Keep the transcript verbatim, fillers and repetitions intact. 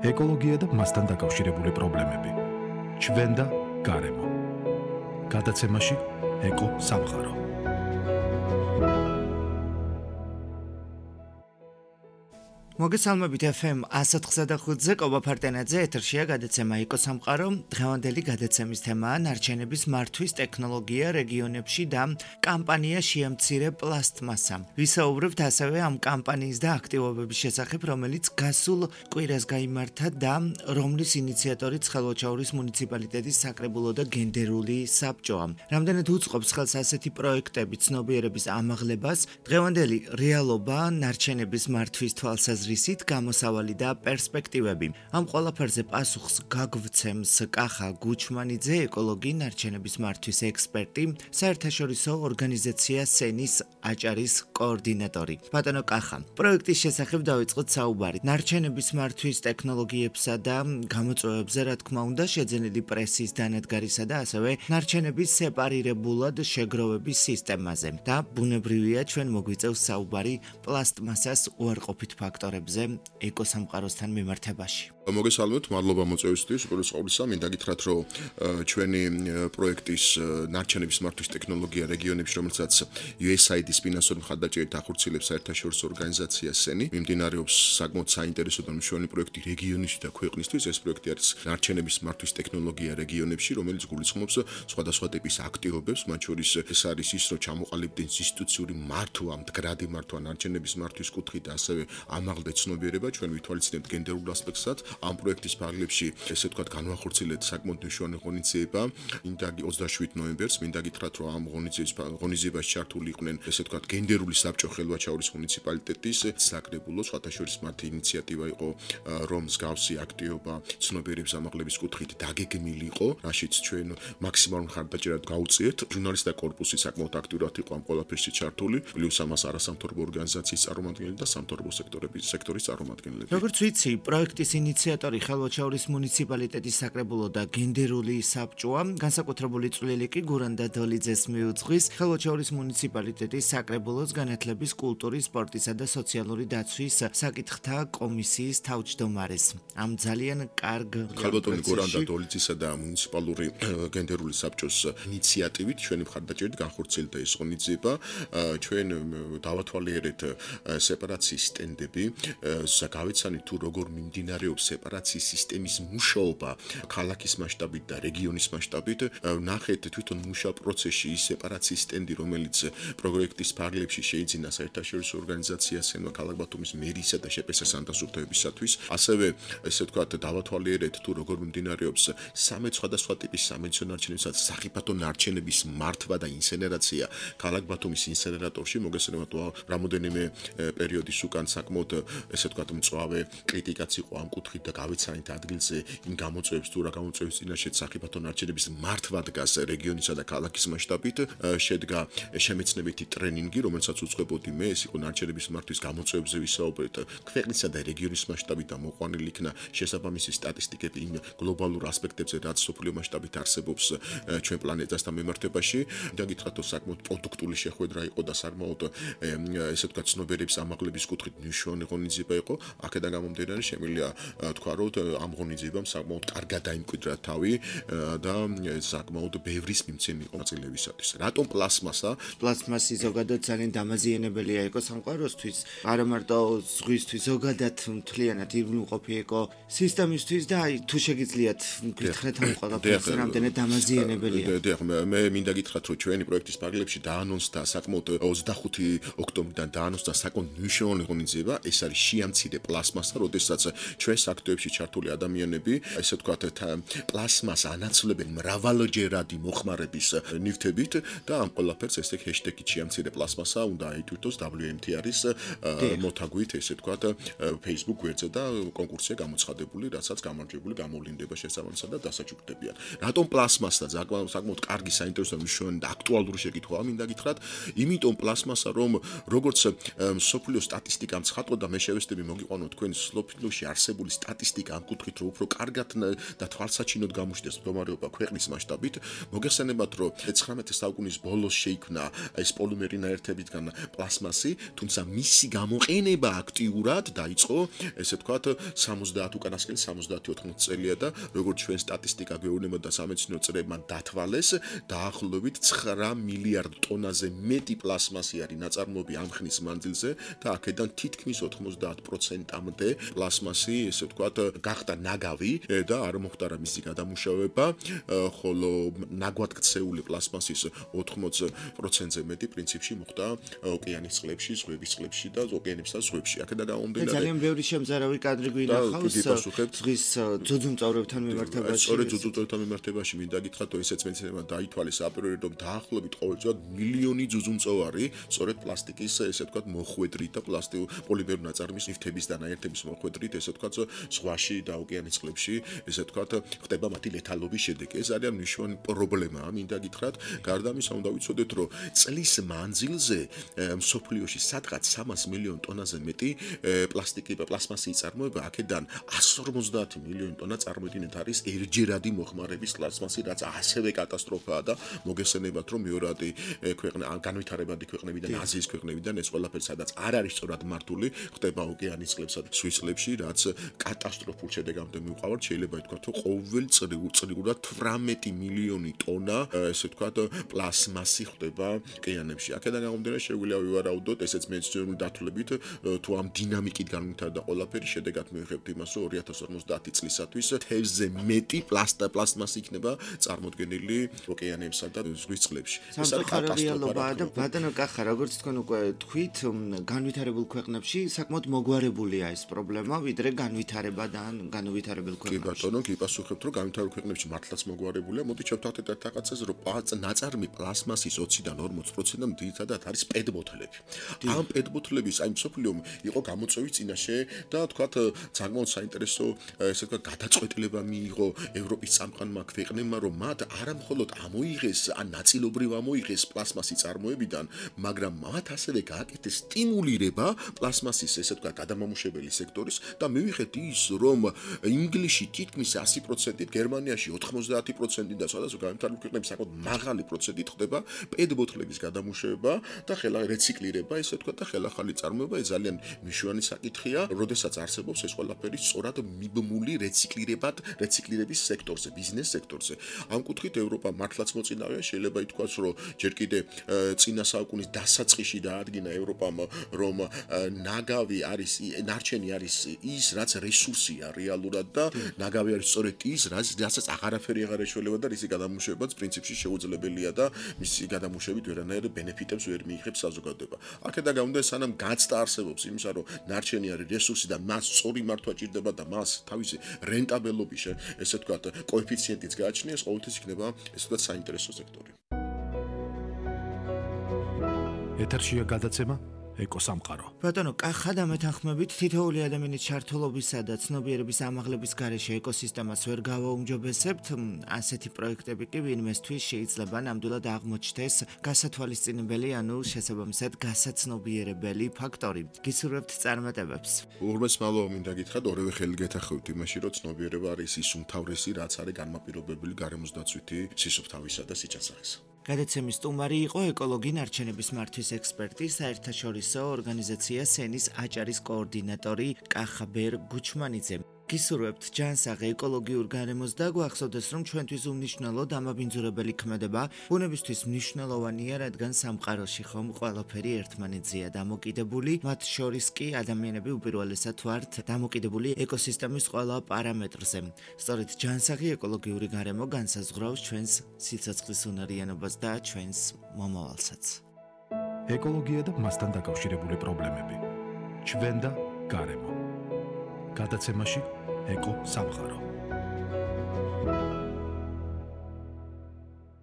ეკოლოგია და მასთან დაკავშირებული პრობლემები. ჩვენ და გარემო. გადაცემაში ეკო სამყარო. მოგესალმებით ეფ ემ one oh nine ზე კობა ფარტენაძე ეთერშია გადაცემა ეკო სამყარო. დღევანდელი გადაცემის თემაა ნარჩენების მართვის ტექნოლოგია რეგიონებში და კამპანია შეამცირე პლასტმასა. ვისაუბრებთ ასევე ამ კამპანიის და აქტივობების შესახებ, რომელიც გასულ კვირას გაიმართა და რომლის ინიციატორიც ხალვაჩაურის მუნიციპალიტეტის საკრებულო და გენდერული საბჭოა. რამდენად უწყობს ხელს ასეთი პროექტები ცნობიერების ამაღლებას, დღევანდელი რეალობა ნარჩენების მართვის თვალსაზრისით რისით გამოსავალი და პერსპექტივები. ამ ყველაფერზე პასუხს გაგვცემს კახა გუჩმანიძე, ეკოლოგი, ნარჩენების მართვის ექსპერტი, საერთაშორისო ორგანიზაცია სენის აჭარის კოორდინატორი. ბატონო კახა, პროექტის შესახებ დავიწყოთ საუბარი. ნარჩენების მართვის ტექნოლოგიებსა და გამოწვევებზე, რა თქმა უნდა, შეძენილი პრესის დანადგარისა და ასევე ნარჩენების სეპარირებულად შეგროვების სისტემაზე. და ბუნებრივია ჩვენ მოგვიწევს საუბარი პლასტმასას უარყოფით ფაქტორებზე ეკოსამყაროსთან მიმართებაში. მოგესალმებით, მადლობა მოწვევისთვის. უპირველეს ყოვლისა, მინდა გითხრათ, რომ ჩვენი პროექტის ნარჩენების მართვის ტექნოლოგია რეგიონებში, რომელსაც იუ ეს აი დი-ის ფინანსური მხარდაჭერით ახორციელებს საერთაშორისო ორგანიზაცია სენი, მიმდინარეობს საკმაოდ საინტერესო და მნიშვნელოვანი პროექტი რეგიონებში და ქვეყნისთვის. ეს პროექტი არის ნარჩენების მართვის ტექნოლოგია რეგიონებში, რომელიც გულისხმობს სხვადასხვა ტიპის აქტივობებს, მათ შორის ეს არის ის, რომ ჩამოყალიბდეს ინსტიტუციური მართვა, მდგრადი მართვა ნარჩენების მართვის კუთხით და ასევე ამაღლდა ცნობიერება, ჩვენ ვითვალისწინებთ გენდერულ ასპექტსაც. ამ პროექტის ფარგლებში, ესე ვთქვათ, განვახორციელეთ საკმაოდ მნიშვნელოვანი ღონისძიება. მინდა ოცდაშვიდ ნოემბერს, მინდა გითხრათ, რომ ამ ღონისძიების ღონისძიებაში ჩართული იყვნენ, ესე ვთქვათ, გენდერული საბჭო ხელვაჩაურის მუნიციპალიტეტის საკრებულო, სხვათა შორის მათი ინიციატივა იყო, რომ მსგავსი აქტივობა ცნობიერების ამაღლების კუთხით დაგეგმილი იყო, რაშიც ჩვენ მაქსიმალურ მხარდაჭერად გავუწიეთ. ჟურნალისტთა კორპუსი საკმაოდ აქტიურად იყო ამ ყველაფერში ჩართული, პლუს ამას არასამთავრობო ორგანიზაციის წარმომადგენლები და სამთავრობო სექტორების სექტორის წარმომადგენლები. როგორც ვიცი, პროექტის ინიციატორი ხალვაჩაურის მუნიციპალიტეტის საკრებულო და გენდერული საბჭოა, განსაკუთრებული წვლილი კი გურანდა დოლიძეს მიუძღვის ხალვაჩაურის მუნიციპალიტეტის საკრებულოს განათლების, კულტურის, სპორტისა და სოციალური დაცვის საკითხთა კომისიის თავმჯდომარის. ამ ძალიან კარგ ხალბატონი გურანდა დოლიძისა და მუნიციპალური გენდერული საბჭოს ინიციატივით ჩვენი მხარდაჭერით განხორციელდა ეს ღონისძიება. ჩვენ დავათვალიერეთ სეპარაციის სტენდები, გავიცანით თუ როგორ მიმდინარეობს სეპარაციის სისტემის მუშაობა ქალაქის მასშტაბით და რეგიონის მასშტაბით. ნახეთ თვითონ მუშა პროცესში ის სეპარაციის სტენდი, რომელიც პროექტის ფარგლებში შეიძინა საერთაშორისო ორგანიზაციას სენვა ქალაქ ბათუმის მერისა და შეპესას ანტასუფთავებისათვის. ასევე ესე ვთქვათ, დავათვალიერეთ თუ როგორ მიმდინარეობს სამი სხვადასხვა ტიპის სამედიცინო ნარჩენებსაც სახიფათო ნარჩენების მართვა და ინსენერაცია ქალაქ ბათუმის ინსენერატორში. მოგესალმებით, რამოდენიმე პერიოდის უკან საკმაოდ ესე ვთქვათ, მწვავე კრიტიკაც იყო ამ კუთხით და გავიცანით ადგილზე იმ გამოწვევებს თუ რა გამოწვევებს წინაშე სახიფათო ნარჩენების მართვა დგას რეგიონისა და ქალაქის მასშტაბით. შედგა შემეცნებითი ტრენინგი, რომელსაც უწყებოდი მე, ეს იყო ნარჩენების მართვის გამოწვევებზე ვისაუბრეთ ქვეყნისა და რეგიონის მასშტაბით და მოყვანილი იქნა შესაბამისი სტატისტიკები იმ გლობალურ ასპექტებზე, რაც სოფლიო მასშტაბით არსებობს ჩვენ პლანეტასთან მიმართებაში. და გითხრათ, რომ საკმაოდ პროდუქტული შეხვედრა იყო და საკმაოდ ესე ვთქვათ, ცნობიერების ამაღლების კუთხით მნიშვნელოვანი ღონისძიება იყო. აქედან გამომდინარე შემიძლია თქვა, რომ ამ ღონისძიებამ საკმაოდ კარგად დაიმკვიდრა თავი და საკმაოდ ბევრის მიმცემი იყო ნაწილებისათვის. რატომ პლასმასა? პლასმასი ზოგადად ძალიან დამაზიანებელია ეკოსამყაროსთვის, არა მარტო ზღვისთვის, ზოგადად მთლიანად ირგვლივყოფი ეკო სისტემისთვის და აი თუ შეგიძლიათ გითხრათ ამ ყველაფერს რამდენად დამაზიანებელია. დიახ, მე მინდა გითხრათ, რომ ჩვენი პროექტის ფარგლებში დაანონსდა საკმაოდ ოცდახუთი ოქტომბრიდან დაანონსდა საკმაოდ მნიშვნელოვანი ღონისძიება. ეს არის შეამცირე პლასმასა, როდესაც ჩვენს აქტივებში ჩართული ადამიანები, ესე ვთქვათ, პლასმას ანაცვლებენ მრავალჯერადი მოხმარების ნივთებით და ამ ყველაფერს ესე ჰეშტეგი შეამცირე პლასმასა უნდა აიტვირთოს დაბლიუ ემ თი არის მოთაგვით, ესე ვთქვათ, Facebook გვერდზე და კონკურსია გამოცხადებული, რასაც გამარჯვებული გამოვლინდება შესაბამისად და დასაჩუქრდებიან. რატომ პლასმასა? საკმაოდ კარგი, საინტერესო, მნიშვნელოვანი და აქტუალური შეკითხვაა, მინდა გითხრათ, იმიტომ პლასმასა, რომ როგორც სოფლიო სტატისტიკამ ცხადყო და მე შევეცდები მოგიყვანო თქვენ სოფლიოში არსებული სტატისტიკა ამ კუთხით რომ უფრო კარგად და თვალსაჩინოდ გამოჩნდეს მდგომარეობა ქვეყნის მასშტაბით, მოგეხსენებათ რომ მეცხრამეტე საუკუნის ბოლოს შეიქმნა ეს პოლიმერი ნაერთებისგან პლასმასი, თუმცა მისი გამოყენება აქტიურად დაიწყო, ესე ვთქვათ, სამოცდაათ უკანასკნელი სამოცდაათი ოთხმოცდაათი წელია და როგორც ჩვენ სტატისტიკა გვეუბნება და სამეცნიერო წრეებმა დათვალეს, დაახლოებით ცხრა მილიარდ ტონაზე მეტი პლასმასი არის ნაწარმოები ამ ხნის მანძილზე და აქედან თითქმის ოთხმოცდაათ პროცენტამდე პლასმასი, ესე ვთქვათ, გახდა ნაგავი და არ მოხდა მისი გადამუშავება, ხოლო ნაგვადგცეული პლასმასის ოთხმოცი პროცენტზე მეტი პრინციპში მოხდა ოკეანის წყლებში, ზღვების წყლებში და ოკეანებსა და ზღვებში. აქედან გამომდინარე ძალიან ბევრი შემზარავი კადრი გვინახავს ზღვის ძუძუმწოვრებთან მიმართებაში. სწორედ ძუძუმწოვრებთან მიმართებაში მინდა გითხრათ, რომ ესეც მეცნიერებმა დაითვალეს აპრიორად, რომ დაახლოებით ყოველწლიურად მილიონი ძუძუმწოვარი სწორედ პლასტიკის, ესე ვთქვათ, მოხვედრით და პლასტიკურ პოლიმერ ნაწარმის ნივთების და ნაერთების მოხვედრით, ესე ვთქვათ, ზღვაში და ოკეანის წყლებში, ესე ვთქვათ, ხდება მათი ლეთალობის შედეგი. ეს არის მნიშვნელოვანი პრობლემა, მინდა გითხრათ. გარდა ამისა, უნდა ვიცოდეთ, რომ წლის მანძილზე მსოფლიოში სადღაც სამას მილიონ ტონაზე მეტი პლასტიკი და პლასმასი იწარმოება, აქედან εκατს ორმოცდაათი მილიონი ტონა წარმოიდგინეთ არის ერთჯერადი მოხმარების პლასმასი, რაც ასევე კატასტროფაა და მოგესწრებათ, რომ მეორადი ქვეყნა, განვითარებადი ქვეყნებიდან, აზიის ქვეყნებიდან ეს ყველაფერი სადაც არ არის სწორად მართული, ხდება ოკეანის წყლებსა და ზღვის წყლებში, რაც კატასტროფულ შედეგამდე მივყავართ. შეიძლება ითქვათ, რომ ყოველ წლიურად თვრამეტი მილიონი ტონა, ესე ვთქვათ, პლასმასი ხდება ოკეანებში. აქედან გამომდინარე, შეგვიძლია ვივარაუდოთ, ესეც მეცნიერული დათვლებით, თუ ამ დინამიკით განვითარდა ყველაფერი, შედეგად მივიღებთ იმას, რომ ორი ათას ორმოცდაათი წლისათვის თევზზე მეტი პლასტმასი იქნება წარმოდგენილი ოკეანებსა და ზღვის წყლებში. ეს არის კატასტროფა და ბატონო კახა, როგორც თქვენ უკვე თქვით, განვითარებულ ქვეყნებში საკმაოდ მოგვარებულია ეს პრობლემა, ვიდრე განვითარებადან განვითარებულ ქვეყნებში. კი ბატონო, კი პასუხებთ, რომ განვითარებულ ქვეყნებში მართლაც მოგვარებულია. მოდით შევთავაზოთ ერთ რაღაცას, რომ ნაწარმი პლასმასის ოციდან ორმოცი პროცენტამდე ძირითადად არის პეტბოთლები. ამ პეტბოთლების აი მსოფლიომ იყო გამოწვევი წინაშე და თქვათ საკმაოდ საინტერესო, ესე ვთქვათ, გადაწყვეტილება მიიღო ევროპის წამყვანმა ქვეყნებმა, რომ მათ არა მხოლოდ ამოიღეს, ან ნაწილობრივ ამოიღეს პლასმასი წარმოებიდან, მაგრამ მათ ასევე გააკეთეს სტიმულირება პლასმასის, ესე ვთქვათ, გადამამუშავებელი სექტორის და მივიღეთ ის, რომ ინგლისში თითქმის ასი პროცენტით, გერმანიაში ოთხმოცდაათი პროცენტით და სხვადასხვა განვითარებულ ქვეყნებში საკმაოდ მაღალი პროცენტით ხდება პეტბოთლების გადამუშავება და ხელა რეციკლირება, ესე ვთქვათ, და ხელახალი წარმოება. ეს ძალიან მნიშვნელოვანი საკითხია, როდესაც არსებობს ეს ყველაფერი სწორად მიბმული რეციკლირებად, რეციკლირების სექტორზე, ბიზნეს სექტორზე. ამ კუთხით ევროპა მართლაც მოწინავეა, შეიძლება ითქვას, რომ ჯერ კიდე წინა საუკუნის დასაწყისში დაადგინა ევროპამ, რომ ნაგავი არის, ნარჩენი არის ის, რაც რესურსია რეალურად და ნაგავი არის სწორედ ის, რასაც აღარაფერი აღარ ეშველება და რის გადამუშავებაც პრინციპში შეუძლებელია და მისი გადამუშავებით ვერანაირ ბენეფიტებს ვერ მიიღებს საზოგადოება. აქედან გამომდინარე, სანამ გაცდა არსებობს იმისა, რომ ნარჩენი არის რესურსი და მას სწორი მართვა ჭირდება და მას თავისი რენტაბელობის, ესე ვთქვათ, კოეფიციენტიც გააჩნიეს, ყოველთვის იქნება, ესე ვთქვათ, საინტერესო სექტორი. ეთერშია გადაცემა ეკოსამყარო. ბატონო, კახა და მეთანხმებით თითოეული ადამიანის ჩართულობისა და ცნობიერების ამაღლების გარეშე ეკოსისტემას ვერ გავაუმჯობესებთ, ასეთი პროექტები კი ვინმესთვის შეიძლება ნამდვილად აღმოჩნდეს გასათვალისწინებელი, ანუ შესაბამისად გასაცნობიერებელი ფაქტორი. გისურვებთ წარმატებებს. ურმეს მალო მინდა გითხრათ, ორივე ხელი გეთანხმებით იმაში, რომ ცნობიერება არის ის უმთავრესი, რაც არის განმაპირობებელი გარემოსდაცვითი სისუფთავისა და სიჭასახისა. გადაცემის სტუმარი იყო ეკოლოგი ნარჩენების მართვის ექსპერტი, საერთაშორისო ორგანიზაცია სენის აჭარის კოორდინატორი კახაბერ გუჩმანიძე. გისურვებთ ჯანსაღი ეკოლოგიურ გარემოს და გვახსოვდეს, რომ ჩვენთვის უმნიშვნელო დამაბინძურებელი ქმედება ბუნებისთვის მნიშვნელოვანია, რადგან სამყაროში ხომ ყველაფერი ერთმანეთზეა დამოკიდებული, მათ შორის კი ადამიანები უპირველესად ვართ დამოკიდებული ეკოსისტემის ყველა პარამეტრზე. სწორედ ჯანსაღი ეკოლოგიური გარემო განსაზღვრავს ჩვენს სიცოცხლის უნარიანობას და ჩვენს მომავალსაც. ეკოლოგია და მასთან დაკავშირებული პრობლემები. ჩვენ და გარემო. გადაცემაში ეკო სამყარო.